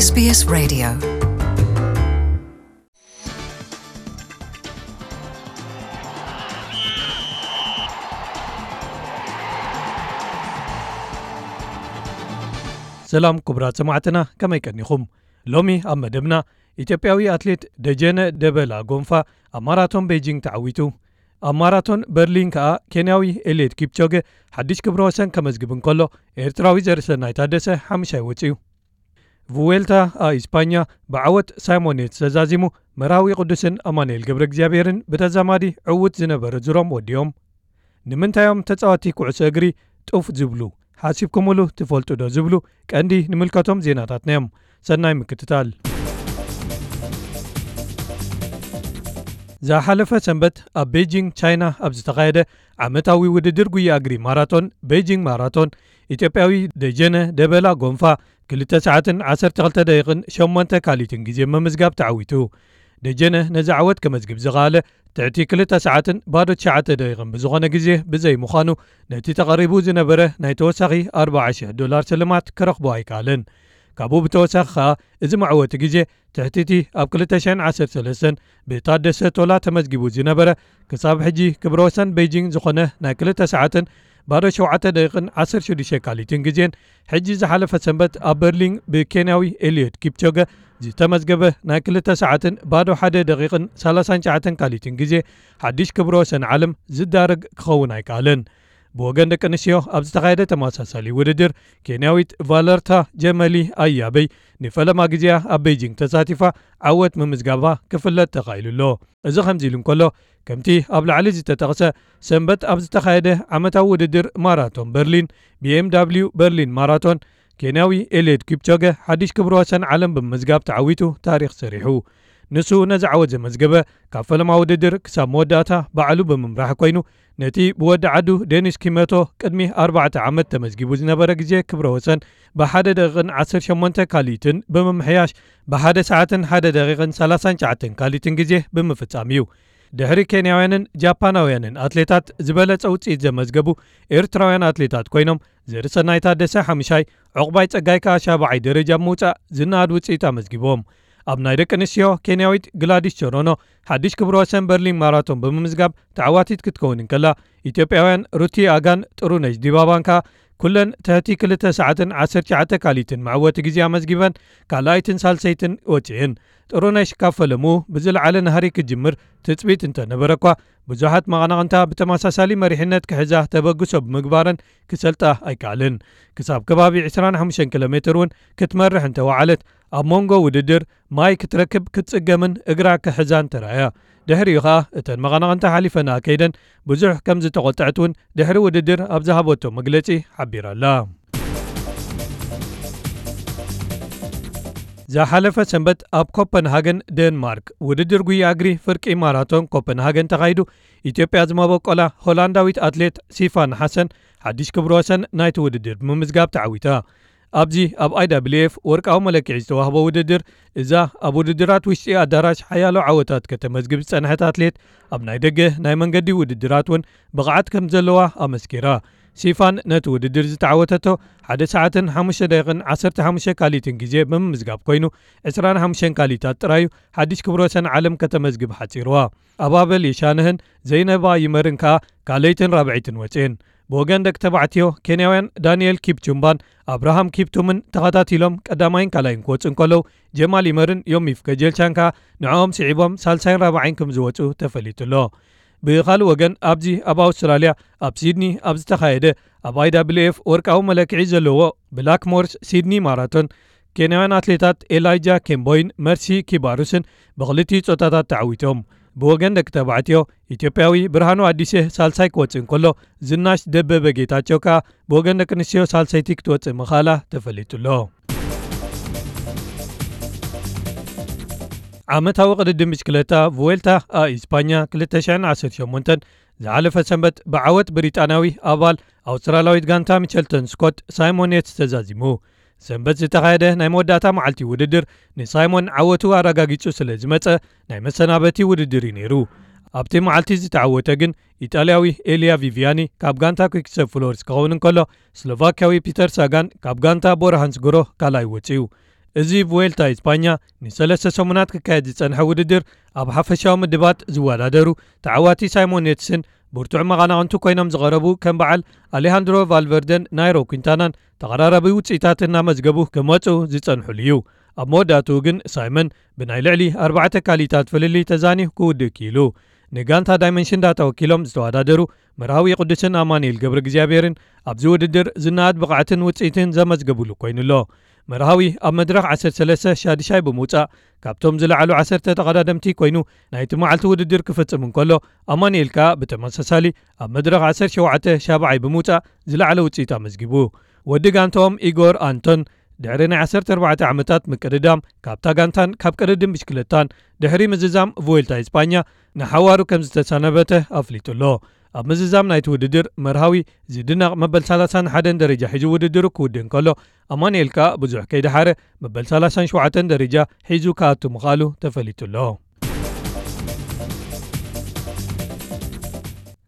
SBS Radio. ሰላም ክቡራት ሰማዕትና፣ ከመይ ቀኒኹም? ሎሚ ኣብ መደብና፣ ኢትዮጵያዊ ኣትሌት ደጀነ ደበላ ጎንፋ ኣብ ማራቶን ቤጂንግ ተዓዊቱ። ኣብ ማራቶን በርሊን ከኣ ኬንያዊ ኤልየድ ኪፕቾገ ሓድሽ ክብረ ወሰን ከመዝግብ እንከሎ፣ ኤርትራዊ ዘርሰናይ ታደሰ ሓምሻይ ወጺኡ። ቭዌልታ ኣ ኢስፓኛ ብዓወት ሳይሞን ዬትስ ተዛዚሙ፣ መርሃዊ ቅዱስን ኣማኑኤል ገብረ እግዚኣብሔርን ብተዛማዲ ዕዉት ዝነበረ ዙሮም ወዲኦም። ንምንታይ እዮም ተጻወትቲ ኩዕሶ እግሪ ጡፍ ዝብሉ? ሓሲብኩምሉ ትፈልጡ ዶ? ዝብሉ ቀንዲ ንምልከቶም ዜናታትና እዮም። ሰናይ ምክትታል። ዝሓለፈ ሰንበት ኣብ ቤጂንግ ቻይና ኣብ ዝተኻየደ ዓመታዊ ውድድር ጉያ እግሪ ማራቶን፣ ቤጂንግ ማራቶን፣ ኢትዮጵያዊ ደጀነ ደበላ ጎንፋ ክልተ ሰዓትን ዓሰርተ ክልተ ደቂቕን ሸሞንተ ካሊትን ግዜ ምምዝጋብ ተዓዊቱ። ደጀነ ነዚ ዓወት ከመዝግብ ዝኸኣለ ትሕቲ ክልተ ሰዓትን ባዶ ትሽዓተ ደቂቕን ብዝኾነ ግዜ ብዘይ ምዃኑ፣ ነቲ ተቐሪቡ ዝነበረ ናይ ተወሳኺ ኣርባዓ ሽሕ ዶላር ስልማት ክረኽቦ ኣይከኣለን። ካብኡ ብተወሳኺ ከኣ፣ እዚ መዕወቲ ግዜ ትሕቲ እቲ ኣብ ክልተ ሽሕን ዓሰርተ ሰለስተን ብታደሰ ቶላ ተመዝጊቡ ዝነበረ፣ ክሳብ ሕጂ ክብረ ወሰን ቤጂንግ ዝኾነ ናይ ክልተ ሰዓትን ባዶ ሸውዓተ ደቂቕን ዓሰርተ ሽዱሽተ ካሊትን ግዜን፣ ሕጂ ዝሓለፈ ሰንበት ኣብ በርሊን ብኬንያዊ ኤልዮድ ኪፕቾገ ዝተመዝገበ ናይ ክልተ ሰዓትን ባዶ ሓደ ደቂቕን ሰላሳን ትሽዓተን ካሊትን ግዜ፣ ሓድሽ ክብረ ወሰን ዓለም ዝዳረግ ክኸውን ኣይከኣለን። ብወገን ደቂ ኣንስትዮ ኣብ ዝተኻየደ ተመሳሳሊ ውድድር፣ ኬንያዊት ቫለርታ ጀመሊ ኣያበይ ንፈለማ ግዜኣ ኣብ ቤጂንግ ተሳቲፋ ዓወት ምምዝጋባ ክፍለጥ ተኻኢሉ ኣሎ። እዚ ከምዚ ኢሉ እንከሎ፣ ከምቲ ኣብ ላዕሊ ዝተጠቕሰ፣ ሰንበት ኣብ ዝተኻየደ ዓመታዊ ውድድር ማራቶን በርሊን፣ ቢ ኤም ዳብሊው በርሊን ማራቶን፣ ኬንያዊ ኤልየድ ኪፕቾገ ሓድሽ ክብረ ወሰን ዓለም ብምምዝጋብ ተዓዊቱ ታሪኽ ሰሪሑ። ንሱ ነዚ ዓወት ዘመዝገበ፣ ካብ ፈለማ ውድድር ክሳብ መወዳእታ ባዕሉ ብምምራሕ ኮይኑ፣ ነቲ ብወዲ ዓዱ ዴኒስ ኪመቶ ቅድሚ ኣርባዕተ ዓመት ተመዝጊቡ ዝነበረ ግዜ ክብረ ወሰን ብሓደ ደቂቕን ዓሰርተ ሸሞንተ ካሊትን ብምምሕያሽ፣ ብሓደ ሰዓትን ሓደ ደቂቕን ሰላሳን ትሽዓተን ካሊትን ግዜ ብምፍጻም እዩ። ድሕሪ ኬንያውያንን ጃፓናውያንን ኣትሌታት ዝበለጸ ውጽኢት ዘመዝገቡ ኤርትራውያን ኣትሌታት ኮይኖም፣ ዘርሰናይ ታደሰ ሓምሻይ፣ ዑቕባይ ጸጋይ ከኣ ሻብዓይ ደረጃ ብምውጻእ ዝነኣድ ውጽኢት ኣመዝጊቦም። ኣብ ናይ ደቂ ኣንስትዮ፣ ኬንያዊት ግላዲስ ቸሮኖ ሓድሽ ክብረ ወሰን በርሊን ማራቶን ብምምዝጋብ ተዓዋቲት ክትከውን እንከላ፣ ኢትዮጵያውያን ሩቲ ኣጋን ጥሩነሽ ዲባባን ከኣ ኩለን ትሕቲ ክልተ ሰዓትን ዓሰርተ ትሽዓተ ካሊትን መዕወቲ ግዜ ኣመዝጊበን ካልኣይትን ሳልሰይትን ወጺኤን። ጥሩነሽ ካብ ፈለምኡ ብዝለዓለ ናህሪ ክትጅምር ትጽቢት እንተነበረ እኳ፣ ብዙሓት መቐናቕንታ ብተመሳሳሊ መሪሕነት ክሕዛ ተበግሶ ብምግባረን ክሰልጣ ኣይከኣለን። ክሳብ ከባቢ ዕስራን ሓሙሽተን ኪሎ ሜትር እውን ክትመርሕ እንተወዓለት፣ ኣብ መንጎ ውድድር ማይ ክትረክብ ክትጽገምን እግራ ክሕዛን ተራእያ። ድሕሪኡ ኸኣ እተን መቐናቕንታ ሓሊፈንኣ ከይደን፣ ብዙሕ ከም ዝተቖጥዐት እውን ድሕሪ ውድድር ኣብ ዝሃበቶ መግለጺ ሓቢራ ኣላ። ዝሓለፈ ሰንበት ኣብ ኮፐንሃገን ዴንማርክ ውድድር ጉያ እግሪ ፍርቂ ማራቶን ኮፐንሃገን ተኻይዱ፣ ኢትዮጵያ ዝመበቆላ ሆላንዳዊት ኣትሌት ሲፋን ሓሰን ሓድሽ ክብረ ወሰን ናይቲ ውድድር ብምምዝጋብ ተዓዊታ። ኣብዚ ኣብ ኣይ ዳብሊው ኤፍ ወርቃዊ መለክዒ ዝተዋህቦ ውድድር፣ እዛ ኣብ ውድድራት ውሽጢ ኣዳራሽ ሓያሎ ዓወታት ከተመዝግብ ዝጸንሐት ኣትሌት፣ ኣብ ናይ ደገ ናይ መንገዲ ውድድራት እውን ብቕዓት ከም ዘለዋ ኣመስኪራ። ሲፋን ነቲ ውድድር ዝተዓወተቶ ሓደ ሰዓትን ሓሙሽተ ደቂቕን ዓሰርተ ሓሙሽተ ካሊትን ግዜ ብምምዝጋብ ኮይኑ፣ ዕስራን ሓሙሽተን ካሊታት ጥራዩ ሓድሽ ክብረ ወሰን ዓለም ከተመዝግብ ሓጺርዋ። ኣባበል የሻንህን ዘይነባ ይመርን ከኣ ካልኣይትን ራብዐይትን ወጽኤን። ብወገን ደቂ ተባዕትዮ፣ ኬንያውያን ዳንኤል ኪፕቹምባን ኣብርሃም ኪፕቱምን ተኸታቲሎም ቀዳማይን ካልኣይን ክወጹ እንከለዉ፣ ጀማል ይመርን ዮሚፍ ገጀልቻን ከኣ ንዕኦም ስዒቦም ሳልሳይን ራብዓይን ከም ዝወጹ ተፈሊጡ ኣሎ። ብኻልእ ወገን፣ ኣብዚ ኣብ ኣውስትራልያ ኣብ ሲድኒ ኣብ ዝተኻየደ ኣብ ኣይ ዳብሊው ኤፍ ወርቃዊ መለክዒ ዘለዎ ብላክ ሞርስ ሲድኒ ማራቶን፣ ኬንያውያን ኣትሌታት ኤላይጃ ኬምቦይን መርሲ ኪባሩስን ብኽልቲኡ ጾታታት ተዓዊቶም። ብወገን ደቂ ተባዕትዮ፣ ኢትዮጵያዊ ብርሃኑ ኣዲሴ ሳልሳይ ክወጽእ እንከሎ፣ ዝናሽ ደበበ ጌታቸው ከኣ ብወገን ደቂ ኣንስትዮ ሳልሰይቲ ክትወጽእ ምኽኣላ ተፈሊጡ ኣሎ። ዓመታዊ ቅድድም ብሽክለታ ቩዌልታ ኣ ኢስፓኛ ክልተ ሽሕን ዓሰርተ ሸሞንተን ዝሓለፈ ሰንበት ብዓወት ብሪጣንያዊ ኣባል ኣውስትራልያዊት ጋንታ ሚቸልተን ስኮት ሳይሞን ዬትስ ተዛዚሙ። ሰንበት ዝተኻየደ ናይ መወዳእታ መዓልቲ ውድድር ንሳይሞን ዓወቱ ኣረጋጊጹ ስለ ዝመጸ፣ ናይ መሰናበቲ ውድድር እዩ ነይሩ። ኣብቲ መዓልቲ ዝተዓወተ ግን ኢጣልያዊ ኤልያ ቪቪያኒ ካብ ጋንታ ኩክሰብ ፍሎርስ ክኸውን እንከሎ፣ ስሎቫክያዊ ፒተር ሳጋን ካብ ጋንታ ቦራ ሃንስግሮ ካልኣይ ወጺኡ። እዚ ቡዌልታ ኢስፓኛ ንሰለስተ ሰሙናት ክካየድ ዝጸንሐ ውድድር፣ ኣብ ሓፈሻዊ ምድባት ዝወዳደሩ ተዓዋቲ ሳይሞን ኔትስን ብርቱዕ መቓናቕንቱ ኮይኖም ዝቐረቡ ከም በዓል ኣሌሃንድሮ ቫልቨርደን ናይሮ ኲንታናን ተቐራራቢ ውጽኢታት እናመዝገቡ ክመጹ ዝጸንሑሉ እዩ። ኣብ መወዳእትኡ ግን ሳይመን ብናይ ልዕሊ ኣርባዕተ ካሊታት ፍልልይ ተዛንዩ ክውድእ ክኢሉ። ንጋንታ ዳይመንሽን ዳታ ወኪሎም ዝተወዳደሩ መርሃዊ ቅዱስን ኣማኑኤል ገብረ እግዚኣብሔርን ኣብዚ ውድድር ዝነኣድ ብቕዓትን ውጽኢትን ዘመዝገቡሉ ኮይኑሎ። መርሃዊ ኣብ መድረኽ ዓሰርተ ሰለስተ ሻድሻይ ብምውጻእ ካብቶም ዝለዓሉ ዓሰርተ ተቐዳደምቲ ኮይኑ ናይቲ መዓልቲ ውድድር ክፍጽም እንከሎ፣ ኣማኑኤል ከኣ ብተመሳሳሊ ኣብ መድረኽ ዓሰርተ ሸውዓተ ሻብዓይ ብምውጻእ ዝለዓለ ውጽኢት ኣመዝጊቡ። ወዲ ጋንታኦም ኢጎር ኣንቶን ድሕሪ ናይ ዓሰርተ ኣርባዕተ ዓመታት ምቅድዳም ካብታ ጋንታን ካብ ቅድድም ብሽክለታን ድሕሪ ምዝዛም ቮልታ ኢስፓኛ ንሓዋሩ ከም ዝተሰናበተ ኣፍሊጡ ኣሎ። ኣብ ምዝዛም ናይቲ ውድድር መርሃዊ ዝድነቕ መበል ሰላሳን ሓደን ደረጃ ሒዙ ውድድሩ ክውድእ እንከሎ፣ ኣማኑኤል ከኣ ብዙሕ ከይደሓረ መበል ሰላሳን ሸውዓተን ደረጃ ሒዙ ክኣቱ ምኽኣሉ ተፈሊጡ ኣሎ።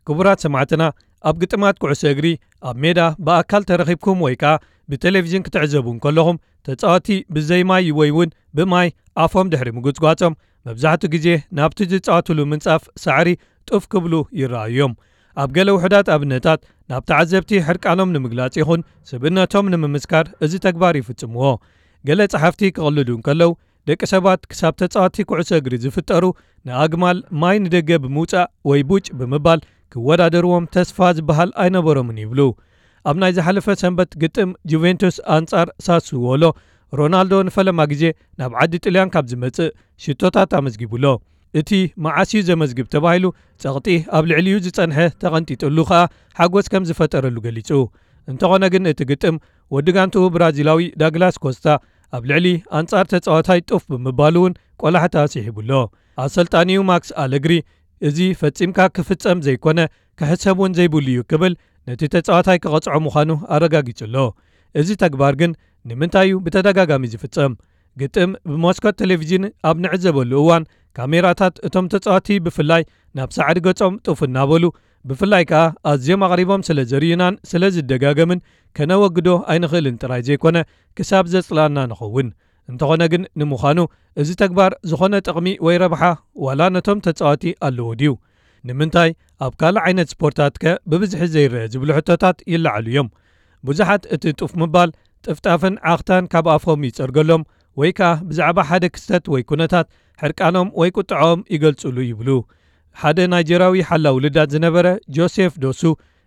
ክቡራት ሰማዕትና፣ ኣብ ግጥማት ኩዕሶ እግሪ ኣብ ሜዳ ብኣካል ተረኺብኩም ወይ ከኣ ብቴሌቪዥን ክትዕዘቡ እንከለኹም፣ ተጻወቲ ብዘይ ማይ ወይ እውን ብማይ ኣፎም ድሕሪ ምጉጽጓጾም፣ መብዛሕትኡ ግዜ ናብቲ ዝጻወቱሉ ምንጻፍ ሳዕሪ ጡፍ ክብሉ ይረኣዩ እዮም። ኣብ ገለ ውሑዳት ኣብነታት፣ ናብ ተዓዘብቲ ሕርቃኖም ንምግላጽ ይኹን ስብእነቶም ንምምስካር እዚ ተግባር ይፍጽምዎ። ገለ ጸሓፍቲ ክቕልዱ እንከለዉ፣ ደቂ ሰባት ክሳብ ተጻወቲ ኩዕሶ እግሪ ዝፍጠሩ ንኣግማል ማይ ንደገ ብምውጻእ ወይ ቡጭ ብምባል ክወዳደርዎም ተስፋ ዝበሃል ኣይነበሮምን ይብሉ። ኣብ ናይ ዝሓለፈ ሰንበት ግጥም ጁቬንቱስ ኣንጻር ሳስዎሎ፣ ሮናልዶ ንፈለማ ግዜ ናብ ዓዲ ጥልያን ካብ ዝመጽእ ሽቶታት ኣመዝጊቡ ኣሎ። እቲ መዓስ እዩ ዘመዝግብ ተባሂሉ ጸቕጢ ኣብ ልዕሊኡ ዝጸንሐ ተቐንጢጥሉ ከኣ ሓጎስ ከም ዝፈጠረሉ ገሊጹ። እንተኾነ ግን እቲ ግጥም ወዲ ጋንትኡ ብራዚላዊ ዳግላስ ኮስታ ኣብ ልዕሊ ኣንጻር ተጻዋታይ ጡፍ ብምባሉ እውን ቆላሕታ ስሒቡ ኣሎ። ኣሰልጣኒኡ ማክስ ኣለግሪ፣ "እዚ ፈጺምካ ክፍጸም ዘይኮነ ክሕሰብ እውን ዘይብሉ እዩ" ክብል ነቲ ተጻዋታይ ክቐጽዖ ምዃኑ ኣረጋጊጹ ኣሎ። እዚ ተግባር ግን ንምንታይ እዩ ብተደጋጋሚ ዝፍጸም? ግጥም ብመስኮት ቴሌቪዥን ኣብ ንዕዘበሉ እዋን፣ ካሜራታት እቶም ተጻወቲ ብፍላይ ናብ ሳዕሪ ገጾም ጡፍ እናበሉ፣ ብፍላይ ከኣ ኣዝዮም ኣቕሪቦም ስለ ዘርእዩናን ስለ ዝደጋገምን፣ ከነወግዶ ኣይንኽእልን ጥራይ ዘይኮነ፣ ክሳብ ዘጽልኣና ንኸውን። እንተኾነ ግን፣ ንምዃኑ እዚ ተግባር ዝኾነ ጥቕሚ ወይ ረብሓ ዋላ ነቶም ተጻወቲ ኣለዎ ድዩ? ንምንታይ ኣብ ካልእ ዓይነት ስፖርታትከ ብብዝሒ ዘይረአ ዝብሉ ሕቶታት ይለዓሉ እዮም። ብዙሓት እቲ ጡፍ ምባል ጥፍጣፍን ዓኽታን ካብ ኣፎም ይጸርገሎም ወይ ከኣ ብዛዕባ ሓደ ክስተት ወይ ኩነታት ሕርቃኖም ወይ ቁጥዖም ይገልጹሉ ይብሉ። ሓደ ናይጀርያዊ ሓላው ልዳት ዝነበረ ጆሴፍ ዶሱ፣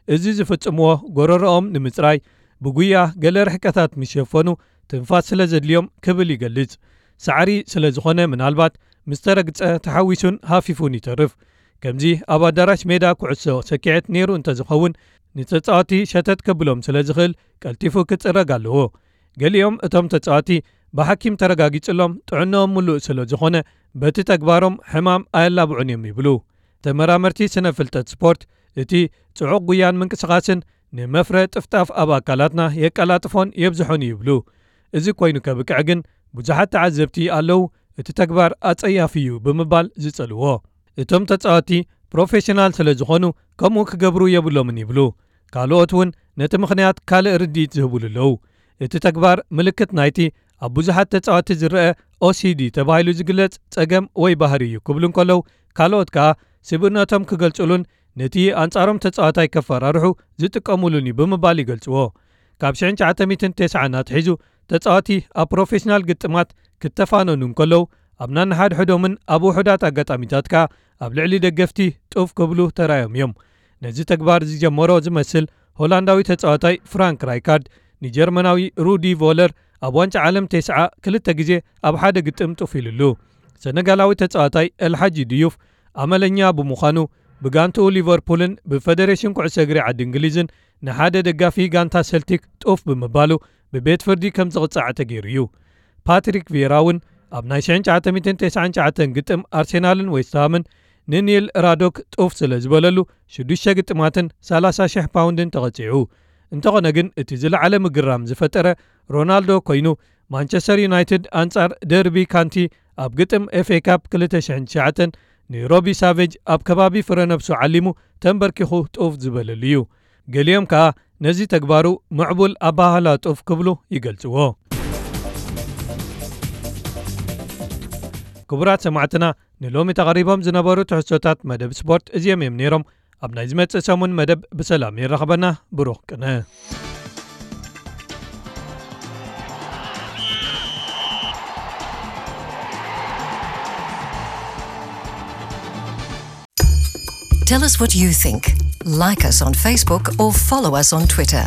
እዚ ዝፍጽምዎ ጎረሮኦም ንምጽራይ ብጉያ ገለ ርሕቀታት ምስ ሸፈኑ ትንፋስ ስለ ዘድልዮም ክብል ይገልጽ። ሳዕሪ ስለ ዝኾነ ምናልባት ምስ ተረግጸ ተሓዊሱን ሃፊፉን ይተርፍ። ከምዚ ኣብ ኣዳራሽ ሜዳ ኩዕሶ ሰኪዐት ነይሩ እንተዝኸውን ንተጻወቲ ሸተት ከብሎም ስለ ዝኽእል ቀልጢፉ ክጽረግ ኣለዎ። ገሊኦም እቶም ተጻወቲ ብሓኪም ተረጋጊጽሎም ጥዕንኦም ምሉእ ስለ ዝኾነ በቲ ተግባሮም ሕማም ኣየላብዑን እዮም ይብሉ። ተመራመርቲ ስነ ፍልጠት ስፖርት፣ እቲ ጽዑቕ ጉያን ምንቅስቓስን ንመፍረ ጥፍጣፍ ኣብ ኣካላትና የቀላጥፎን የብዝሖን ይብሉ። እዚ ኮይኑ ከብቅዕ ግን ብዙሓት ተዓዘብቲ ኣለዉ፣ እቲ ተግባር ኣጸያፊ እዩ ብምባል ዝጸልዎ። እቶም ተጻወቲ ፕሮፌሽናል ስለ ዝኾኑ ከምኡ ክገብሩ የብሎምን ይብሉ። ካልኦት እውን ነቲ ምኽንያት ካልእ ርድኢት ዝህቡሉ ኣለዉ። እቲ ተግባር ምልክት ናይቲ ኣብ ብዙሓት ተጻወቲ ዝረአ ኦሲዲ ተባሂሉ ዝግለጽ ጸገም ወይ ባህሪ እዩ ክብሉ እንከለዉ፣ ካልኦት ከኣ ስብእነቶም ክገልጹሉን ነቲ ኣንጻሮም ተጻዋታይ ከፈራርሑ ዝጥቀሙሉን እዩ ብምባል ይገልጽዎ። ካብ ሽሕን ትሽዓተ ሚእትን ተስዓን ኣትሒዙ ተጻዋቲ ኣብ ፕሮፌሽናል ግጥማት ክተፋነኑ እንከለዉ፣ ኣብ ናንሓድሕዶምን ኣብ ውሑዳት ኣጋጣሚታት ከኣ ኣብ ልዕሊ ደገፍቲ ጡፍ ክብሉ ተራእዮም እዮም። ነዚ ተግባር ዝጀመሮ ዝመስል ሆላንዳዊ ተጻዋታይ ፍራንክ ራይካርድ ንጀርመናዊ ሩዲ ቮለር ኣብ ዋንጫ ዓለም ተስዓ ክልተ ግዜ ኣብ ሓደ ግጥም ጡፍ ኢሉሉ። ሰነጋላዊ ተጻዋታይ ኤልሓጂ ድዩፍ ኣመለኛ ብምዃኑ፣ ብጋንትኡ ሊቨርፑልን ብፈደሬሽን ኩዕሶ እግሪ ዓዲ እንግሊዝን ንሓደ ደጋፊ ጋንታ ሰልቲክ ጡፍ ብምባሉ ብቤት ፍርዲ ከም ዝቕጻዕ ተገይሩ እዩ። ፓትሪክ ቪየራ እውን ኣብ ናይ ሽሕን ትሽዓተ ሚእትን ተስዓን ትሽዓተን ግጥም ኣርሴናልን ዌስትሃምን ንኒል ራዶክ ጡፍ ስለ ዝበለሉ ሽዱሽተ ግጥማትን ሰላሳ ሽሕ ፓውንድን ተቐጺዑ። እንተኾነ ግን እቲ ዝለዓለ ምግራም ዝፈጠረ ሮናልዶ ኮይኑ፣ ማንቸስተር ዩናይትድ ኣንጻር ደርቢ ካንቲ ኣብ ግጥም ኤፍ ኤ ካፕ ክልተ ሽሕን ትሽዓተን ንሮቢ ሳቬጅ ኣብ ከባቢ ፍረ ነብሱ ዓሊሙ ተንበርኪኹ ጡፍ ዝበለሉ እዩ። ገሊኦም ከኣ ነዚ ተግባሩ ምዕቡል ኣባህላ ጡፍ ክብሉ ይገልጽዎ። ክቡራት ሰማዕትና፣ ንሎሚ ተቐሪቦም ዝነበሩ ትሕዝቶታት መደብ ስፖርት እዚኦም እዮም ነይሮም። ኣብ ናይ ዝመጽእ ሰሙን መደብ ብሰላም የራኽበና። ብሩኽ ቅነ። Tell us what you think. Like us on Facebook or follow us on Twitter.